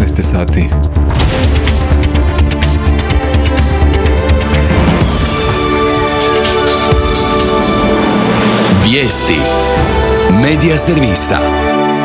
19 sati. Vijesti Medija servisa.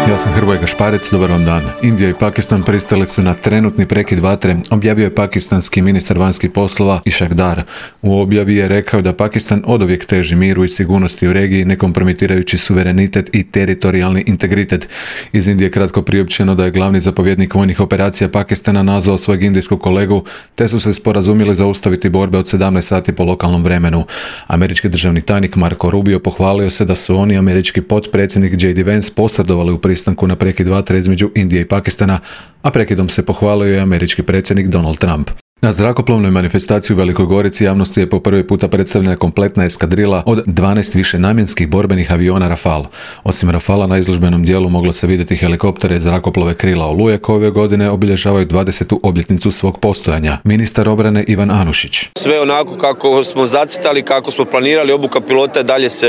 Ja sam Hrvoje Gašparec, dobar vam dan. Indija i Pakistan pristali su na trenutni prekid vatre, objavio je pakistanski ministar vanjskih poslova Ishaq Dar. U objavi je rekao da Pakistan oduvijek teži miru i sigurnosti u regiji, ne kompromitirajući suverenitet i teritorijalni integritet. Iz Indije kratko priopćeno da je glavni zapovjednik vojnih operacija Pakistana nazvao svojeg indijskog kolegu, te su se sporazumjeli zaustaviti borbe od 17 sati po lokalnom vremenu. Američki državni tajnik Marco Rubio pohvalio se da su oni, američki potpredsjednik J.D. Vance, posredovali u pristanku na prekid vatre između Indije i Pakistana, a prekidom se pohvalio i američki predsjednik Donald Trump. Na zrakoplovnoj manifestaciji u Velikoj Gorici javnosti je po prvi puta predstavljena kompletna eskadrila od 12 višenamjenskih borbenih aviona Rafale. Osim Rafala, na izložbenom dijelu moglo se vidjeti helikoptere zrakoplove Krila Oluje koje ove godine obilježavaju 20. obljetnicu svog postojanja. Ministar obrane Ivan Anušić. Sve onako kako smo zacrtali, kako smo planirali, obuka pilota dalje se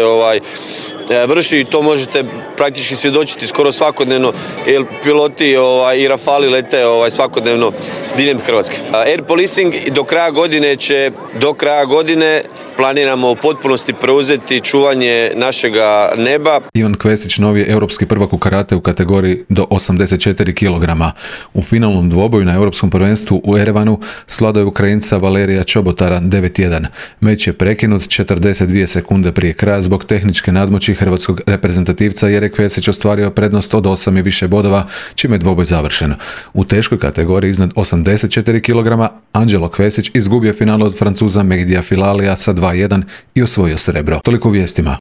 vrši i to možete praktički svjedočiti skoro svakodnevno, jer piloti i Rafali lete svakodnevno diljem Hrvatske. Air policing do kraja godine planiramo u potpunosti preuzeti čuvanje našega neba. Ivan Kvesić novi je europski prvak u karate u kategoriji do 84 kg. U finalnom dvoboju na europskom prvenstvu u Erevanu svladao je Ukrajinca Valerija Čobotara 9-1. Meč je prekinut 42 sekunde prije kraja zbog tehničke nadmoći hrvatskog reprezentativca, jer je Kvesić ostvario prednost od 8 i više bodova, čime je dvoboj završen. U teškoj kategoriji iznad 84 kg Anđelo Kvesić izgubio finale od Francuza Mehdija Filalija sa 2-1 i osvojio srebro. Toliko u vijestima.